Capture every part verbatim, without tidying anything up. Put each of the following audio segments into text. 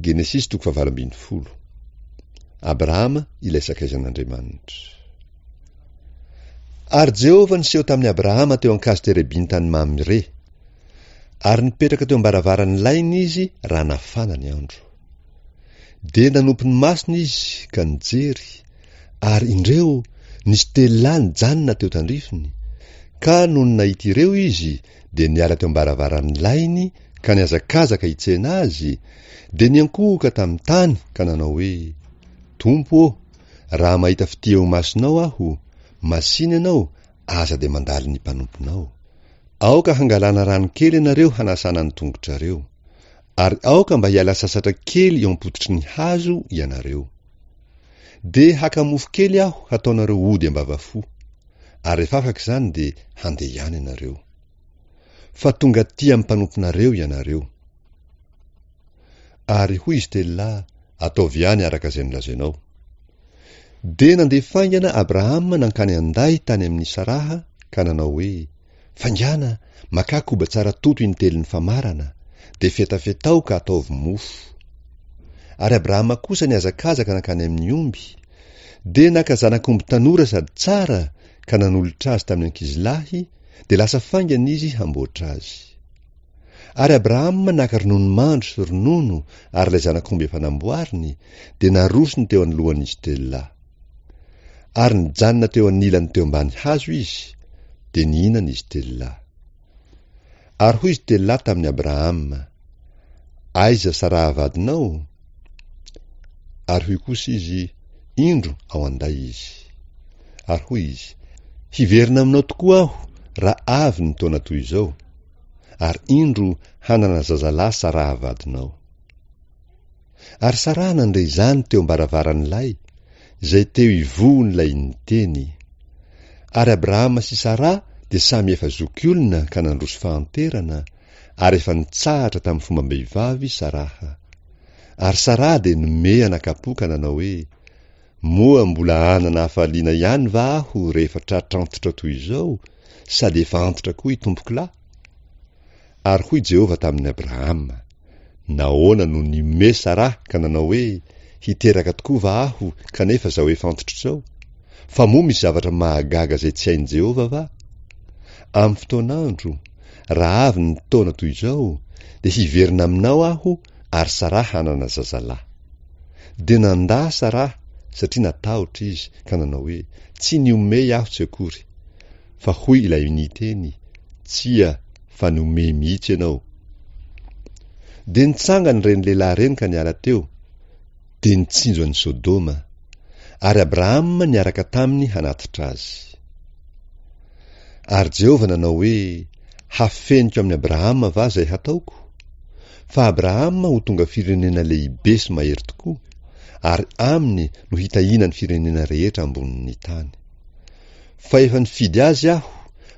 Genesisy toko fahavalo ambin'ny folo. Abrahama ilay sakaizan'Andriamanitra. Ary Jehovah niseho tamin'i Abrahama teo an-kazo terebinta any Mamre. Ary nipetraka teo am-baravaran'ny lainy izy raha nafana ny andro. Dia nanompo ny masony izy ka nijery, ary indreo nisy telo lahy nijanona teo tandrifiny, ka nony nahita ireo izy dia niala teo am-baravaran'ny lainy ka nihazakazaka hitsena azy, dia niankohoka tamin'ny tany ka nanao hoe, Tompo ô, raha mahita fitia eo imasonao aho, masìna ianao, aza dia mandalo ny mpanomponao. Aoka hangalana rano kely ianareo hanasana ny tongotrareo. Ary aoka mba hiala sasatra kely eo am-pototry ny hazo ianareo. Dia haka mofo kely aho hataonareo ody am-bavafo. Ary rehefa afaka izany dia handeha ihany ianareo. Fa tonga aty amin'ny mpanomponareo ianareo. Ary hoy izy telo lahy, Ataovy ihany araka izay nolazainao. Dia nandeha faingana Abrahama nankany an-day tany amin'i Saraha ka nanao hoe, Faingàna, makà koba tsara toto intelon'ny famarana, dia fetafetao ka ataovy mofo. Ary Abrahama kosa nihazakazaka nankany amin'ny omby, dia naka zanak'omby tanora sady tsara ka nanolotra azy tamin'ny ankizilahy, dia lasa faingana izy hamboatra azy. Ary Abrahama naka ronono mandry sy ronono ary ilay zanak'omby efa namboariny, dia narosony teo anoloan'izy telo lahy. Ary nijanona teo anilany teo ambany hazo izy, dia nihinana izy telo lahy. Ary hoy izy telo lahy tamin'i Abrahama, Aiza Saraha vadinao? Ary hoy kosa izy, Indro ao an-day izy. Ary hoy izy, Hiverina aminao tokoa aho raha avy ny taona toy izao, ary indro hanana zazalahy Saraha vadinao. Ary Saraha nandre izany teo am-baravaran'ilay, izay teo ivohon'ilay niteny. Ary Abrahama sy Saraha dia samy efa zokiolona ka nandroso fahanterana, ary efa nitsahatra tamin'ny fombam-behivavy Saraha. Ary Saraha dia nomehy anakapo ka nanao hoe, Moa mbola hanana hafaliana ihany va aho rehefa tratr'antitra toy izao, sady efa antitra koa itompokolahy? Ary hoy Jehovah tamin'i Abrahama, Nahoana no nihomehy Saraha ka nanao hoe, Hiteraka tokoa va aho kanefa izao efa antitra izao? Fa moa misy zavatra mahagaga izay tsy hain'i Jehovah va? Amin'ny fotoan'andro, raha avy ny taona toy izao, dia hiverina aminao aho ary Saraha hanana zazalahy. Dia nandà Saraha satria natahotra izy ka nanao hoe, Tsy nihomehy aho tsy akory. Fa hoy ilay niteny, Tsia, fa nihomehy mihitsy ianao. Dia nitsangana ireny lehilahy ireny ka niala teo, dia nitsinjo an'i Sodoma. Ary Abrahama niaraka taminy hanatitra azy. Ary Jehovah nanao hoe, Hafeniko amin'i Abrahama va izay hataoko? Fa Abrahama ho tonga firenena lehibe sy mahery tokoa, ary aminy no hitahiana ny firenena rehetra ambonin'ny tany. Fa efa nifidy azy Aho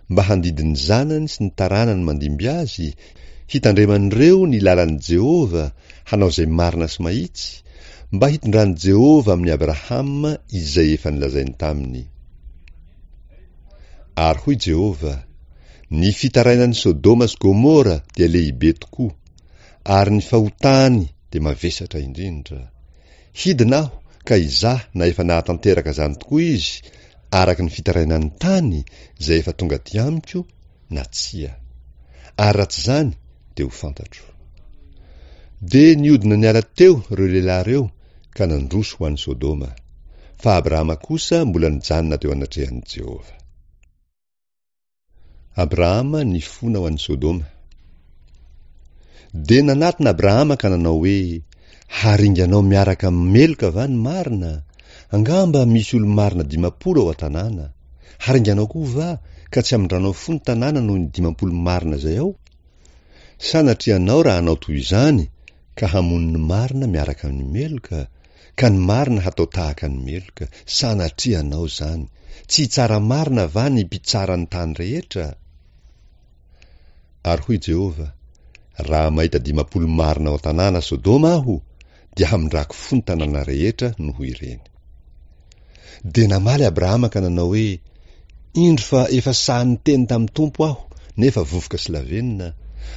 mba handidy ny zanany sy ny taranany mandimby azy, hitandreman'ireo ny lalan'i Jehovah hanao izay marina sy mahitsy, mba hitondran'i Jehovah amin'i Abrahama izay efa nolazainy taminy. Ary hoy Jehovah, Ny fitarainan'i Sodoma sy Gomora dia lehibe tokoa, ary ny fahotany dia mavesatra indrindra. Hidina aho ka hizaha na efa nahatanteraka izany tokoa izy araka ny fitarainan'ny tany izay efa tonga aty amiko na tsia. Ary raha tsy izany dia ho fantatro. Dia nihodina niala teo ireo lehilahy ireo ka nandroso ho any Sodoma. Fa Abrahama kosa mbola nijanona teo anatrehan'i Jehovah. Abrahama nifona ho any Sodoma. Dia nanatona Abrahama ka nanao hoe, Haringanao miaraka amin'ny meloka va ny marina? Angamba misy olo-marina dimampolo ao an-tanàna. Haringanao koa va, ka tsy hamindranao fo ny tanàna noho ny dimampolo marina izay ao? Sanatria anao raha hanao toy izany ka hamono ny marina miaraka amin'ny meloka, ka ny marina hatao tahaka ny meloka, sanatria anao izany, tsy hitsara marina va ny mpitsara ny tany rehetra? Ary hoy Jehovah, Raha mahita dimampolo marina ao an-tanàna Sodoma Aho, dia hamindrako fo ny tanàna rehetra noho ireny. Dia namaly Abrahama ka nanao hoe, Indro fa efa sahy niteny tamin'ny Tompo aho, nefa vovoka sy lavenona,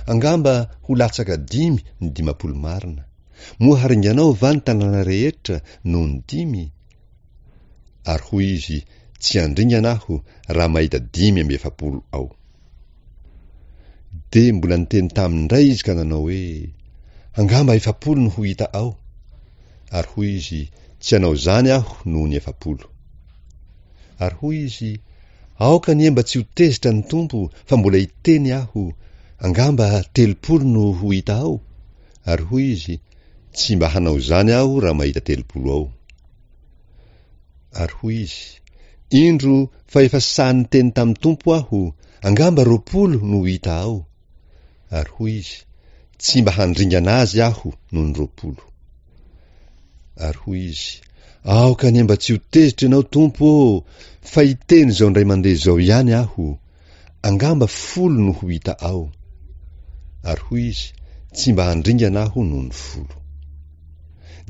angamba ho latsaka dimy ny dimampolo marina. Moa haringanao va ny tanàna rehetra noho ny dimy? Ary hoy izy, Tsy handringana aho raha mahita dimy amby efapolo ao. Dia mbola niteny taminy indray izy ka nanao hoe, Angamba efapolo no ho hita ao. Ary hoy izy, Tsy hanao izany aho noho ny efapolo. Ary hoy izy, Aoka anie mba tsy ho tezitra ny Tompo fa mbola hiteny aho, angamba telopolo no ho hita ao? Ary hoy izy, Tsy mba hanao izany aho raha mahita telopolo ao. Ary hoy izy, Indro fa efa sahy niteny tamin'ny Tompo aho, angamba roapolo no ho hita ao. Ary hoy izy, Tsy mba handringana azy aho noho ny roapolo. Ary hoy izy, Aoka anie mba tsy ho tezitra ianao, Tompo ô, fa hiteny izao indray mandeha izao ihany aho, Angamba folo no ho hita ao. Ary hoy izy, Tsy mba handringana aho noho ny folo.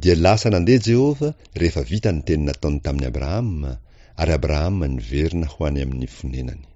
Dia lasa nandeha Jehovah rehefa vita ny teny nataony tamin'i Abrahama, ary Abrahama niverina ho any amin'ny fonenany.